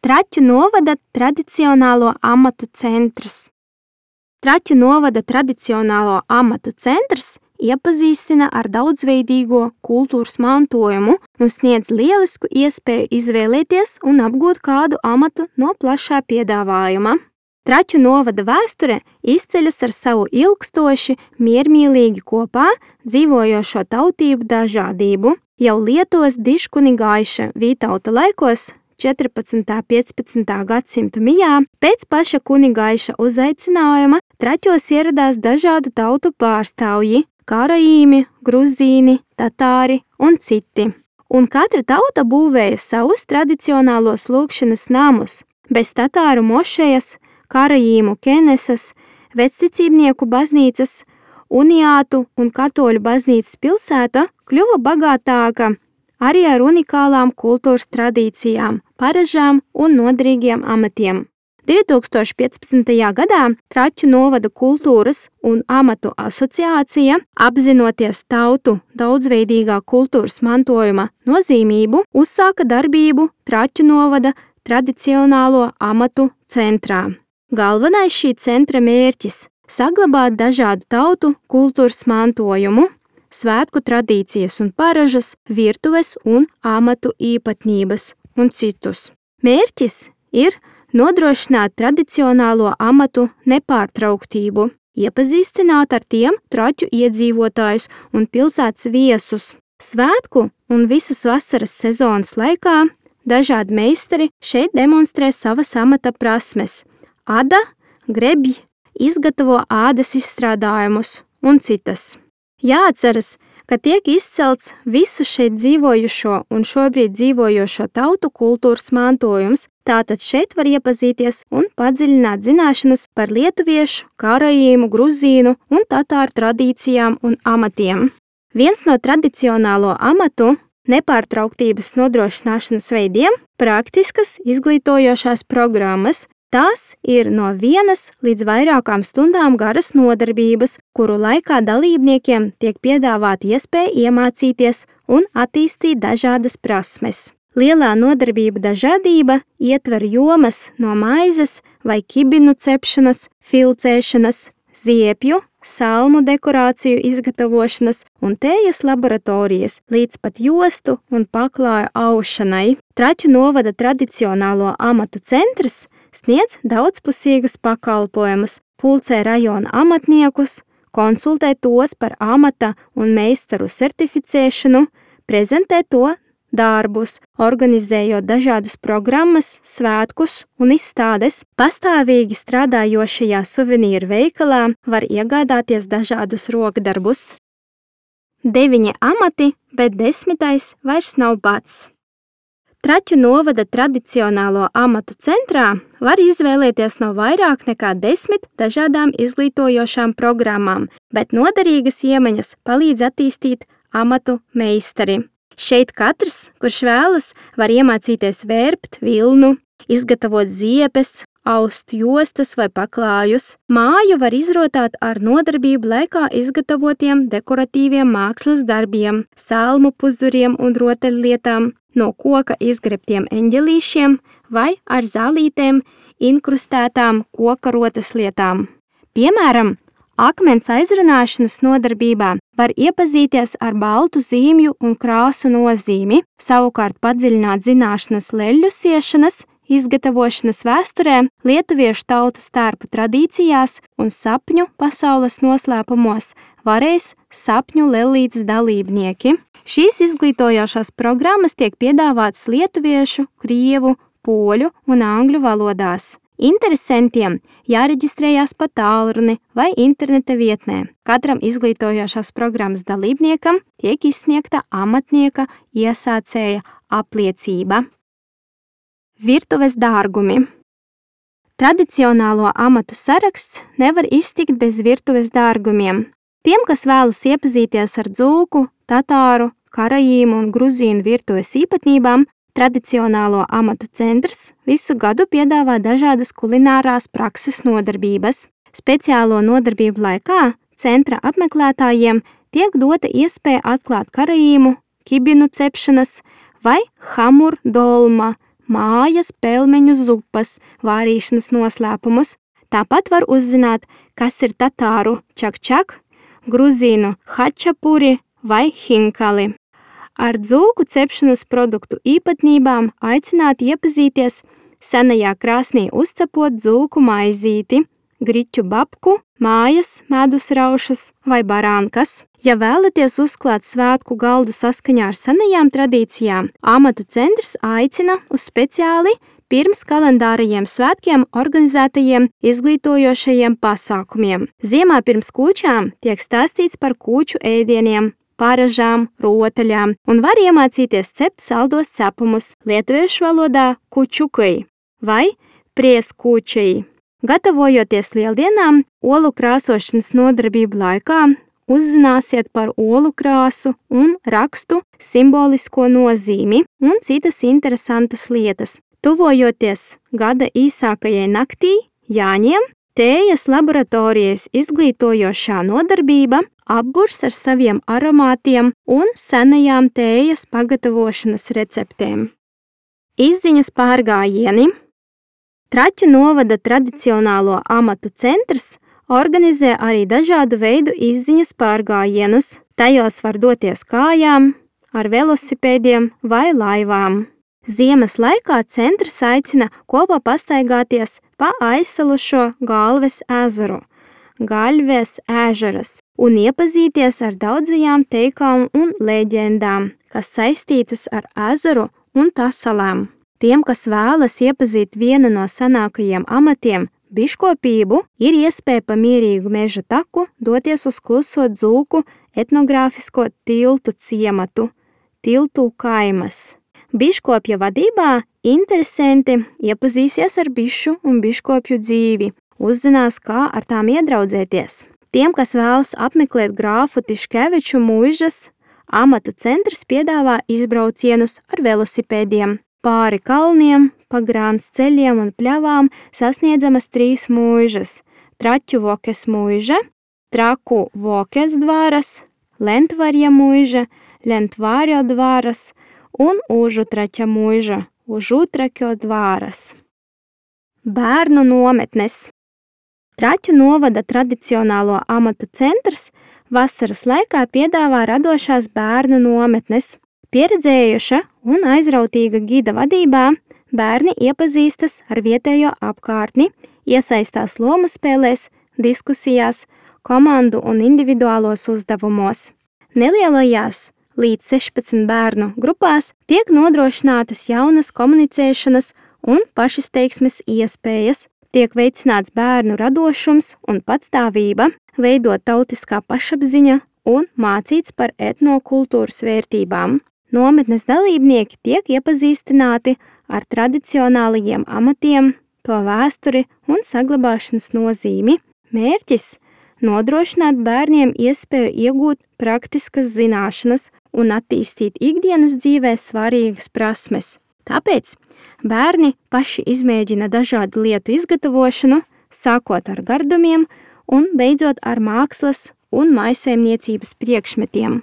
Traķu novada tradicionālo amatu centrs. Traķu novada tradicionālo amatu centrs iepazīstina ar daudzveidīgo kultūras mantojumu un sniedz lielisku iespēju izvēlēties un apgūt kādu amatu no plašā piedāvājuma. Traķu novada vēsture izceļas ar savu ilgstoši, miermīlīgi kopā dzīvojošo tautību dažādību. Jau Lietuvas diškunigaiša Vītauta laikos 14. 15. gadsimtu mijā pēc paša kunigaiša uzaicinājuma Traķos ieradās dažādu tautu pārstāvji – karaīmi, gruzīni, tatāri un citi. Un katra tauta būvēja savus tradicionālos lūgšanas namus. Bez tatāru mošejas, karaīmu kenesas, vecticībnieku baznīcas, uniātu un katoļu baznīcas pilsēta kļuva bagātāka arī ar unikālām kultūras tradīcijām, paražām un noderīgiem amatiem. 2015. gadā Traķu novada kultūras un amatu asociācija, apzinoties tautu daudzveidīgā kultūras mantojuma nozīmību, uzsāka darbību Traķu novada tradicionālo amatu centrā. Galvenais šī centra mērķis – saglabāt dažādu tautu kultūras mantojumu, svētku tradīcijas un paražas, virtuves un amatu īpatnības un citus. Mērķis ir nodrošināt tradicionālo amatu nepārtrauktību, iepazīstināt ar tiem traķu iedzīvotājus un pilsētas viesus. Svētku un visas vasaras sezonas laikā dažādi meistari šeit demonstrē savas amata prasmes. Ada, grebj, izgatavo ādas izstrādājumus un citas. Jāatceras, ka tiek izcelts visu šeit dzīvojušo un šobrīd dzīvojošo tautu kultūras mantojums, tātad šeit var iepazīties un padziļināt zināšanas par lietuviešu, karaīmu, gruzīnu un tatāru tradīcijām un amatiem. Viens no tradicionālo amatu nepārtrauktības nodrošināšanas veidiem – praktiskas izglītojošās programmas. Tās ir no 1 līdz vairākām stundām garas nodarbības, kuru laikā dalībniekiem tiek piedāvāta iespēja iemācīties un attīstīt dažādas prasmes. Lielā nodarbība dažādība ietver jomas no maizes vai kibinu cepšanas, filcēšanas, ziepju, salmu dekorāciju izgatavošanas un tējas laboratorijas līdz pat jostu un paklāju aušanai. Traķu novada tradicionālo amatu centrs sniedz daudzpusīgus pakalpojumus, pulcē rajona amatniekus, konsultē tos par amata un meistaru certificēšanu, prezentē to darbus, organizējot dažādas programmas, svētkus un izstādes. Pastāvīgi strādājošajā suvenīru veikalā var iegādāties dažādus rokdarbus. 9 amati, bet 10. vairs nav bats. Traķu novada tradicionālo amatu centrā var izvēlēties no vairāk nekā 10 dažādām izglītojošām programmām, bet noderīgas iemaņas palīdz attīstīt amatu meistari. Šeit katrs, kurš vēlas, var iemācīties vērpt vilnu, izgatavot ziepes, aust jostas vai paklājus. Māju var izrotāt ar nodarbību laikā izgatavotiem dekoratīviem mākslas darbiem, salmu puzuriem un rotaļlietām, no koka izgrebtiem eņģelīšiem vai ar zālītēm inkrustētām koka rotas lietām. Piemēram, akmens aizrunāšanas nodarbībā var iepazīties ar baltu zīmju un krāsu nozīmi, savukārt padziļināt zināšanas leļļu siešanas, izgatavošanas vēsturē, lietuviešu tautas tērpu tradīcijās un sapņu pasaules noslēpumos varēs sapņu lellītes dalībnieki. Šīs izglītojošās programmas tiek piedāvātas lietuviešu, krievu, poļu un angļu valodās. Interesantiem jāreģistrējās pa tālruni vai interneta vietnē. Katram izglītojošās programmas dalībniekam tiek izsniegta amatnieka iesācēja apliecība. Virtuves dārgumi. Tradicionālo amatu saraksts nevar iztikt bez virtuves dārgumiem. Tiem, kas vēlas iepazīties ar dzūku, tatāru, karaīmu un gruzīnu virtuves īpatnībām, tradicionālo amatu centrs visu gadu piedāvā dažādas kulinārās prakses nodarbības. Speciālo nodarbību laikā centra apmeklētājiem tiek dota iespēja atklāt karaīmu, kibinu cepšanas vai hamur dolma, mājas pelmeņu zupas vārīšanas noslēpumus. Tāpat var uzzināt, kas ir tatāru čakčak, gruzīnu hačapuri vai hinkali. Ar dzūku cepšanas produktu īpatnībām aicināt iepazīties senajā krāsnī uzcepot dzūku maizīti, griķu babku, mājas medus raušus vai barānkas. Ja vēlaties uzklāt svētku galdu saskaņā ar senajām tradīcijām, amatu centrs aicina uz speciāli pirms kalendārajiem svētkiem organizētajiem izglītojošajiem pasākumiem. Ziemā pirms kūčām tiek stāstīts par kūču ēdieniem, paražām, rotaļām un var iemācīties cept saldos cepumus lietuviešu valodā kučukai vai prieskūčai. Gatavojoties lieldienām, olu krāsošanas nodarbību laikā uzzināsiet par olu krāsu un rakstu simbolisko nozīmi un citas interesantas lietas. Tuvojoties gada īsākajai naktī, Jāņiem, tējas laboratorijas izglītojošā nodarbība apburs ar saviem aromātiem un senajām tējas pagatavošanas receptēm. Izziņas pārgājieni. Traķu novada tradicionālo amatu centrs organizē arī dažādu veidu izziņas pārgājienus. Tajos var doties kājām, ar velosipēdiem vai laivām. Ziemas laikā centrs aicina kopā pastaigāties pa aizsalušo Galves ezeru, Gaļves ežeras, un iepazīties ar daudzajām teikām un leģendām, kas saistītas ar ezeru un tā salām. Tiem, kas vēlas iepazīt vienu no senākajiem amatiem, biškopību, ir iespēja pa mierīgu meža taku doties uz kluso dzūku etnogrāfisko tiltu ciematu, Tiltu kaimas. Biškopja vadībā interesanti iepazīsies ar bišu un biškopju dzīvi, uzzinās, kā ar tām iedraudzēties. Tiem, kas vēlas apmeklēt grāfu Tiškeviču mūžas, amatu centrs piedāvā izbraucienus ar velosipēdiem. Pāri kalniem, pa grāns ceļiem un pļavām sasniedzamas 3 mūžas – Traķu vokes mūža, Traku vokes dvāras, Lentvarja mūža, Lentvārjo dvāras un Užutraķa mūža, Užutraķo dvāras. Bērnu nometnes. Traķu novada tradicionālo amatu centrs vasaras laikā piedāvā radošās bērnu nometnes. Pieredzējuša un aizrautīga gida vadībā bērni iepazīstas ar vietējo apkārtni, iesaistās lomu spēlēs, diskusijās, komandu un individuālos uzdevumos. Nelielajās līdz 16 bērnu grupās tiek nodrošinātas jaunas komunicēšanas un pašizteiksmes iespējas, tiek veicināts bērnu radošums un patstāvība, veidot tautiskā pašapziņa un mācīts par etnokultūras vērtībām. Nometnes dalībnieki tiek iepazīstināti ar tradicionālajiem amatiem, to vēsturi un saglabāšanas nozīmi. Mērķis – nodrošināt bērniem iespēju iegūt praktiskas zināšanas un attīstīt ikdienas dzīvē svarīgas prasmes. Tāpēc bērni paši izmēģina dažādu lietu izgatavošanu, sākot ar gardumiem un beidzot ar mākslas un mājsaimniecības priekšmetiem.